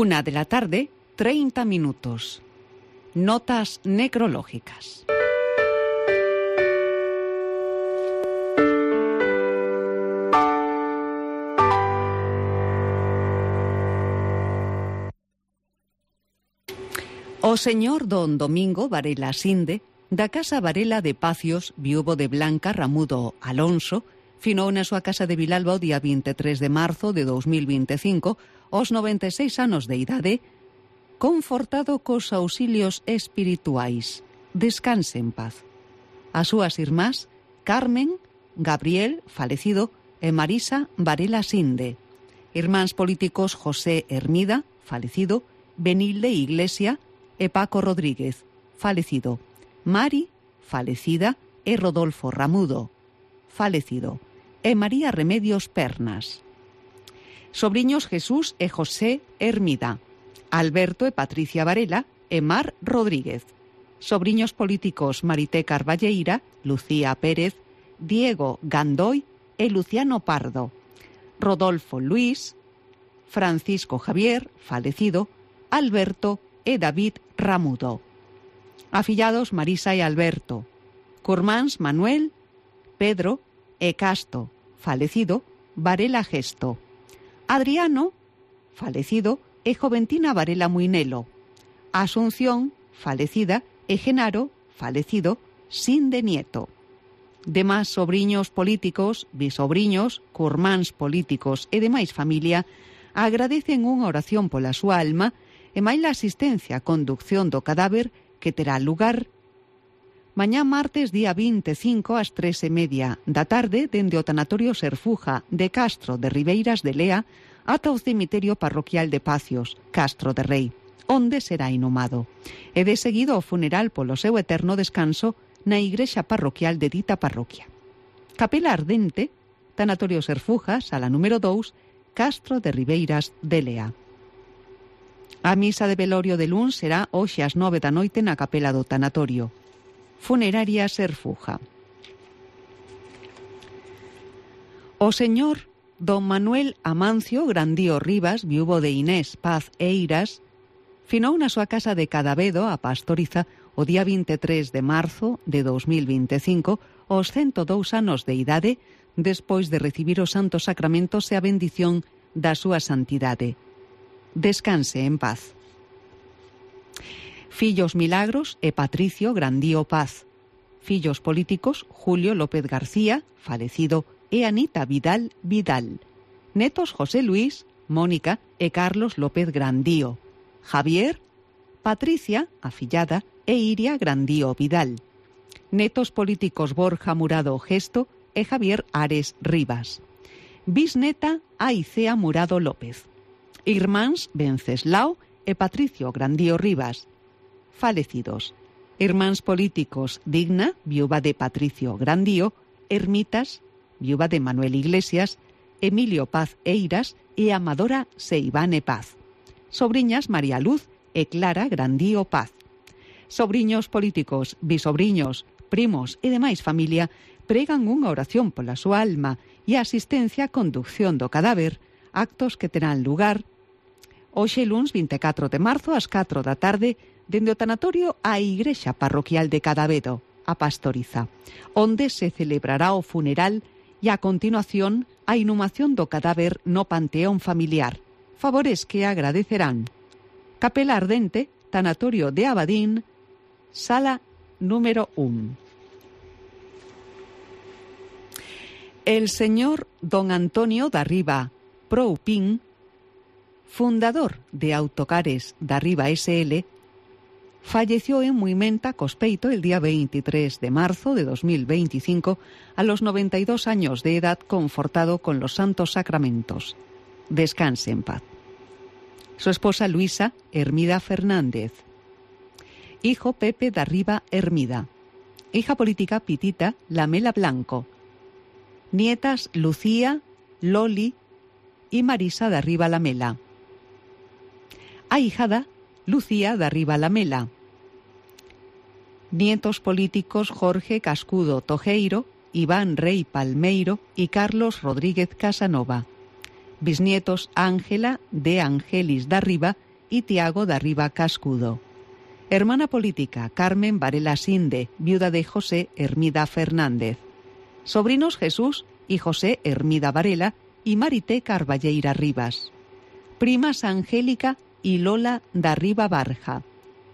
1:30 p.m. Notas necrológicas. O señor don Domingo Varela Sinde, da casa Varela de Pacios, viúvo de Blanca Ramudo Alonso, finou na súa casa de Vilalba o día 23 de marzo de 2025, aos 96 anos de idade, confortado cos auxilios espirituais. Descanse en paz. As súas irmás, Carmen, Gabriel, falecido, e Marisa Varela Sinde. Irmáns políticos José Hermida, falecido, Benilde Iglesia e Paco Rodríguez, falecido. Mari, falecida, e Rodolfo Ramudo, falecido. E María Remedios Pernas. Sobriños Jesús e José Hermida, Alberto e Patricia Varela e Mar Rodríguez. Sobriños políticos Marité Carballeira, Lucía Pérez, Diego Gandoy e Luciano Pardo. Rodolfo Luis, Francisco Javier, falecido, Alberto e David Ramudo. Afillados Marisa e Alberto. Curmáns Manuel, Pedro e Casto, falecido, Varela Gesto. Adriano, falecido, e Joventina Varela Muinelo. Asunción, falecida, e Genaro, falecido, Sinde Nieto. Demás sobriños políticos, bisobriños, curmáns políticos e demais familia agradecen unha oración pola súa alma e máis a asistencia a conducción do cadáver que terá lugar mañá martes día 25 ás 3:30 da tarde dende o tanatorio Serfuja de Castro de Ribeiras de Lea ata o cemiterio parroquial de Pacios, Castro de Rei, onde será inhumado. E de seguido o funeral polo seu eterno descanso na igrexa parroquial de dita parroquia. Capela Ardente, tanatorio Serfuja, sala número 2, Castro de Ribeiras de Lea. A misa de velorio de luns será hoxe ás 9 da noite na capela do tanatorio. Funeraria Serfuja. O señor don Manuel Amancio Grandío Rivas, viúvo de Inés Paz Eiras, finou na súa casa de Cadavedo, a Pastoriza, o día 23 de marzo de 2025, aos 102 anos de idade, despois de recibir os santos sacramentos e a bendición da súa santidade. Descanse en paz. Fillos Milagros e Patricio Grandío Paz. Fillos políticos Julio López García, falecido, e Anita Vidal Vidal. Netos José Luis, Mónica e Carlos López Grandío. Javier, Patricia, afillada, e Iria Grandío Vidal. Netos políticos Borja Murado Gesto e Javier Ares Rivas. Bisneta Aicea Murado López. Irmáns Venceslao e Patricio Grandío Rivas, falecidos. Irmáns políticos Digna, viúva de Patricio Grandío, Ermitas, viúva de Manuel Iglesias, Emilio Paz Eiras e Amadora Seivane Paz. Sobriñas María Luz e Clara Grandío Paz. Sobriños políticos, bisobriños, primos e demais familia pregan unha oración pola súa alma e a asistencia a conducción do cadáver, actos que terán lugar hoxe luns 24 de marzo ás 4 da tarde dende o tanatorio á igrexa parroquial de Cadavedo, a Pastoriza, onde se celebrará o funeral e a continuación a inhumación do cadáver no panteón familiar, favores que agradecerán. Capela Ardente, tanatorio de Abadín, sala número 1. El señor don Antonio Darriba Proupín, fundador de Autocares Darriba SL, falleció en Muimenta, Cospeito, el día 23 de marzo de 2025, a los 92 años de edad, confortado con los santos sacramentos. Descanse en paz. Su esposa Luisa Hermida Fernández. Hijo Pepe Darriba Hermida. Hija política Pitita Lamela Blanco. Nietas Lucía, Loli y Marisa Darriba Lamela. Ahijada Lucía Darriba Lamela. Nietos políticos Jorge Cascudo Tojeiro, Iván Rey Palmeiro y Carlos Rodríguez Casanova. Bisnietos Ángela de Angelis Darriba y Tiago de Arriba Cascudo. Hermana política, Carmen Varela Sinde, viuda de José Hermida Fernández. Sobrinos Jesús y José Hermida Varela y Marité Carballeira Rivas. Primas Angélica y Lola de Arriba Barja.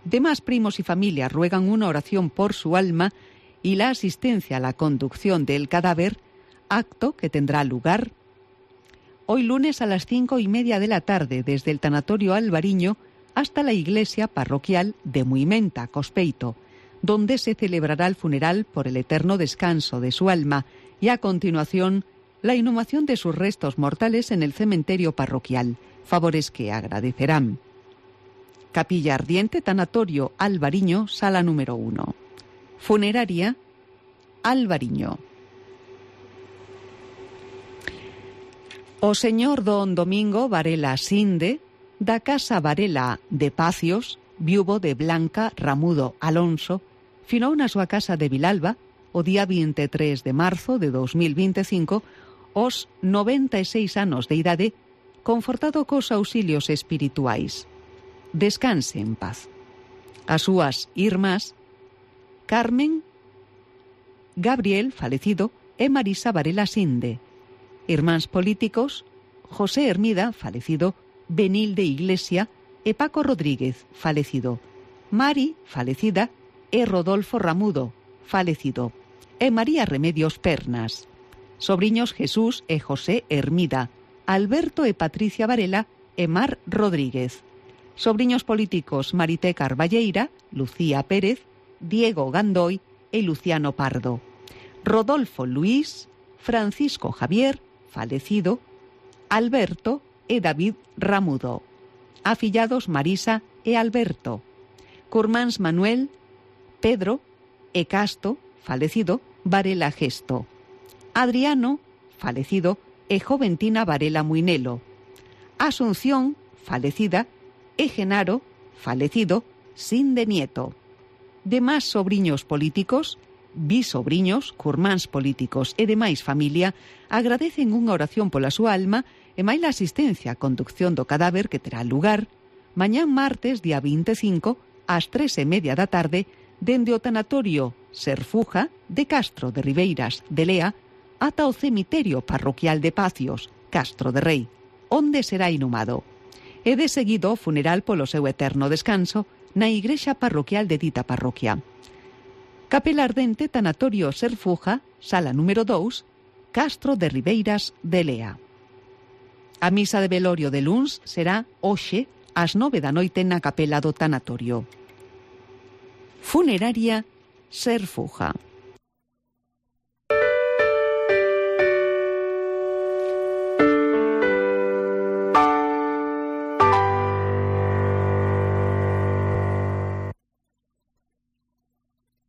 Demás primos y familia ruegan una oración por su alma y la asistencia a la conducción del cadáver, acto que tendrá lugar hoy lunes a las 5:30 de la tarde desde el tanatorio Albariño hasta la iglesia parroquial de Muimenta, Cospeito, donde se celebrará el funeral por el eterno descanso de su alma y a continuación la inhumación de sus restos mortales en el cementerio parroquial, favores que agradecerán. Capilla Ardiente, tanatorio Albariño, sala número 1. Funeraria Albariño. O señor don Domingo Varela Sinde, da casa Varela de Pacios, viuvo de Blanca Ramudo Alonso, finou na súa casa de Vilalba o día 23 de marzo de 2025 os 96 anos de idade, confortado cos auxilios espirituais. Descanse en paz. As súas irmás, Carmen, Gabriel, falecido, e Marisa Varela Sinde. Irmáns políticos, José Hermida, falecido, Benilde Iglesia e Paco Rodríguez, falecido. Mari, falecida, e Rodolfo Ramudo, falecido. E María Remedios Pernas. Sobriños Jesús e José Hermida, Alberto e Patricia Varela e Mar Rodríguez. Sobriños políticos Marité Carballeira, Lucía Pérez, Diego Gandoy e Luciano Pardo. Rodolfo Luis, Francisco Javier, falecido, Alberto e David Ramudo. Afillados Marisa e Alberto. Curmáns Manuel, Pedro e Casto, falecido, Varela Gesto. Adriano, falecido, e Joventina Varela Muinelo. Asunción, falecida, e Genaro, falecido, Sinde Nieto. Demás sobriños políticos, bisobriños, curmáns políticos e demais familia agradecen unha oración pola súa alma e máis a asistencia a conducción do cadáver que terá lugar mañán martes, día 25, ás 3:30 da tarde, dende o tanatorio Serfuja de Castro de Ribeiras de Lea ata o cemiterio parroquial de Pacios, Castro de Rei, onde será inhumado. E de seguido o funeral polo seu eterno descanso na igrexa parroquial de dita parroquia. Capela Ardente, tanatorio Serfuja, sala número 2, Castro de Ribeiras de Lea. A misa de velorio de luns será hoxe ás 9 da noite na capela do tanatorio. Funeraria Serfuja.